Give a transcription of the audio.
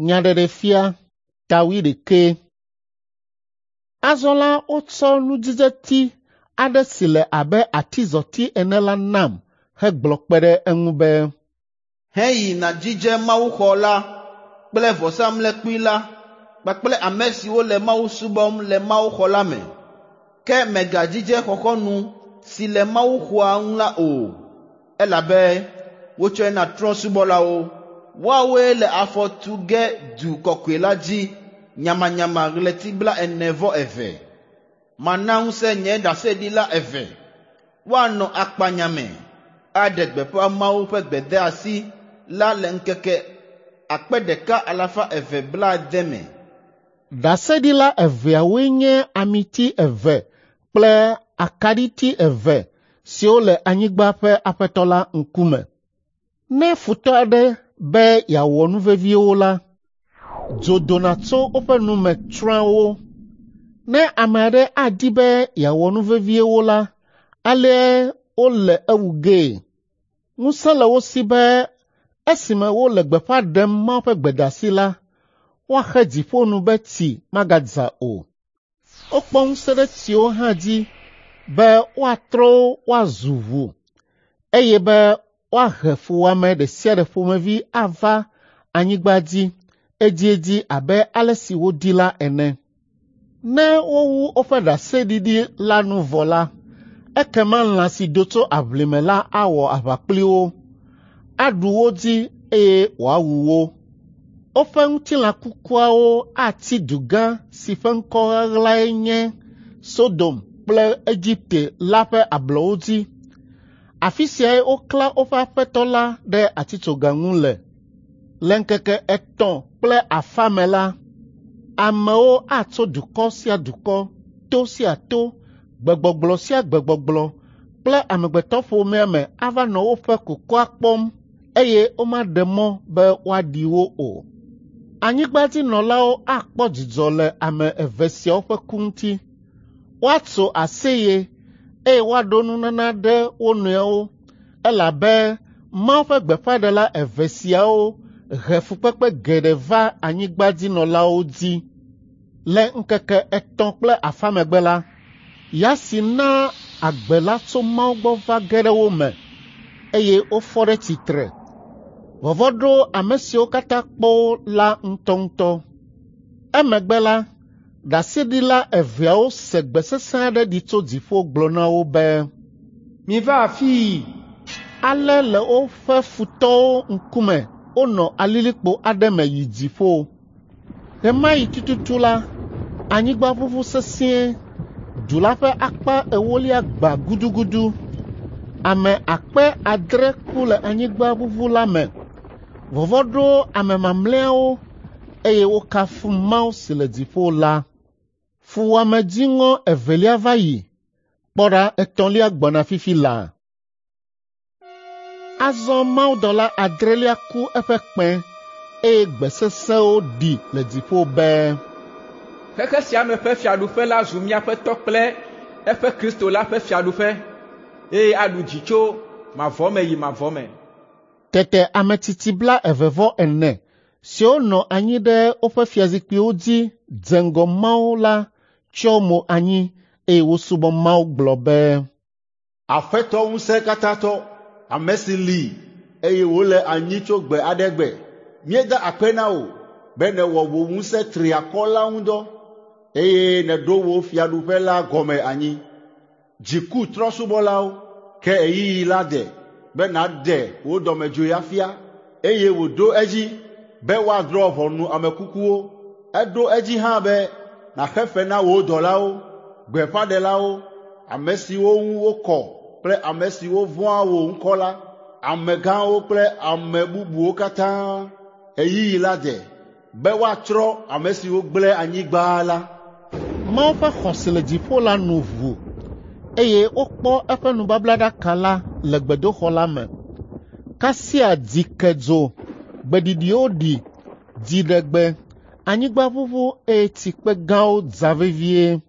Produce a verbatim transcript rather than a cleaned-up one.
Nyaɖeɖefia ta wuiɖekɛ. Azɔ la wotsɔ nudzidzeti aɖe si le abe atizɔti ene la nam hegblɔ kpe ɖe eŋu be, Heyi nàdzidze mawuxɔ la kple vɔsamlekpui la kpakple ame siwo le Mawu subɔm le mawuxɔ la me. Ke mègadzidze xɔxɔnu si le mawuxɔa ŋu la o, elabe wotsɔe na trɔ̃subɔlawo. Woawoe le afɔ tu ge du kɔkɔe la dzi nyamanyama ɣleti blaene-vɔ-eve. Mana ŋusẽ nye ɖaseɖila eve woanɔ akpanya me aɖe gbeƒã Mawu ƒe gbedeasi la le ŋkeke akpe ɖeka alafa eve blaade me. Ɖaseɖila eveawoe nye amiti eve kple akaɖiti eve siwo le anyigba ƒe Aƒetɔ la ŋkume. Ne futɔ aɖe be yeawɔ nu vevi wo la, dzo dona tso woƒe nu me tsrɔ̃a wo. Ne ame aɖe adi be yeawɔ nu vevi wo la, aleae wole ewu gee. Ŋusẽ le wo si be esime wole gbeƒã ɖem Mawu ƒe gbedeasi la, woaxe dziƒo nu be tsi magadza o. Wokpɔ ŋusẽ ɖe tsiwo hã dzi be woatrɔ wo woazu ʋu, eye be woahe fuwɔame ɖe sia ɖe ƒomevi ava anyigba dzi edziedzi abe ale si wodi la ene. Ne wowu woƒe ɖaseɖiɖi la nu vɔ la, ekema lã si do tso aʋlime la awɔ aʋa kpli wo, aɖu wo dzi eye wòawu wo. Woƒe ŋutilã kukuawo atsi du gã si ƒe ŋkɔ ɣaɣlae nye Sodom kple Egipte la ƒe ablɔwo dzi. Afi siae woklã woƒe Aƒetɔ la ɖe atitsoga ŋu le. Le ŋkeke etɔ̃ kple afã me la, amewo atso dukɔ sia dukɔ, to sia to, gbegbɔgblɔ sia gbegbɔgblɔ kple amegbetɔƒomea me ava nɔ woƒe kukua kpɔm eye womaɖe mɔ be woaɖi wo o. Anyigbadzinɔlawo akpɔ dzidzɔ le ame eve siawo ƒe ku ŋuti. Woatso aseye eye woaɖo nunana ɖe wo nɔewo elabe Mawu ƒe gbeƒãɖela eve siawo he fukpekpe geɖe va anyigbadzinɔlawo dzi. Le ŋkeke etɔ̃ kple afã megbe la, ya si naa agbe la tso Mawu gbɔ va ge ɖe wo me, eye wofɔ ɖe tsitre. Vɔvɔ̃ ɖo ame siwo katã kpɔ wo la ŋutɔŋutɔ. Emegbe la, ɖaseɖila eveawo se gbe sesẽ aɖe ɖi tso dziƒo gblɔ na wo be, “Miva afii!” Ale le woƒe futɔwo ŋkume wonɔ alilikpo aɖe me yi dziƒo. Ɣe ma ɣi tututu la, anyigba ʋuʋu sesĩe, du la ƒe akpa ewolia gbã gudugudu. Ame akpe adre ku le anyigbaʋuʋu la me. Vɔvɔ̃ ɖo ame mamlɛawo eye wokafu Mawu si le dziƒo la. Fuwɔame dziŋɔ evelia va yi, kpɔ ɖa etɔ̃lia gbɔna fifi laa. Azɔ mawudɔla adrelia ku eƒe kpẽ eye gbe sesẽwo ɖi le dziƒo be, Xexe sia me ƒe fiaɖuƒe la zu míaƒe tɔ kple eƒe Kristo la ƒe fiaɖuƒe, eye aɖu dzi tso mavɔ me yi mavɔ me. Tete ametsitsi blaeve-vɔ-ene siwo nɔ anyi ɖe woƒe fiazikpuiwo dzi dze ŋgɔ Mawu la tsyɔ mo anyi eye wosubɔ Mawu gblɔ be, Aƒetɔ Ŋusẽkatãtɔ, ame si li eye wòle anyi tso gbe aɖe gbe, míeda akpe na wò be nèwɔ wò ŋusẽ triakɔ la ŋu dɔ eye nèɖo wò fiaɖuƒe la gɔme anyi. Dzi ku trɔ̃subɔlawo, ke ɣeyiɣi la de be nàɖe wò dɔmedzoe afia eye wòɖo edzi be woadrɔ̃ ʋɔnu ame kukuwo. Eɖo edzi hã be nàxe fe na wò dɔlawo, gbeƒãɖelawo, ame siwo ŋu wokɔ kple ame siwo vɔ̃a wò ŋkɔ la, amegãwo kple ame bubuwo katã. Ɣeyiɣi la de be woatsrɔ̃ ame siwo gblẽ anyigba la. Mawu ƒe xɔ si le dziƒo la nu ʋu eye wokpɔ eƒe nubablaɖaka la le gbedoxɔ la me. Kasia dzi ke dzo, gbeɖiɖiwo ɖi, dziɖegbe, anyigba ʋuʋu eye tsikpe gãwo dza vevie.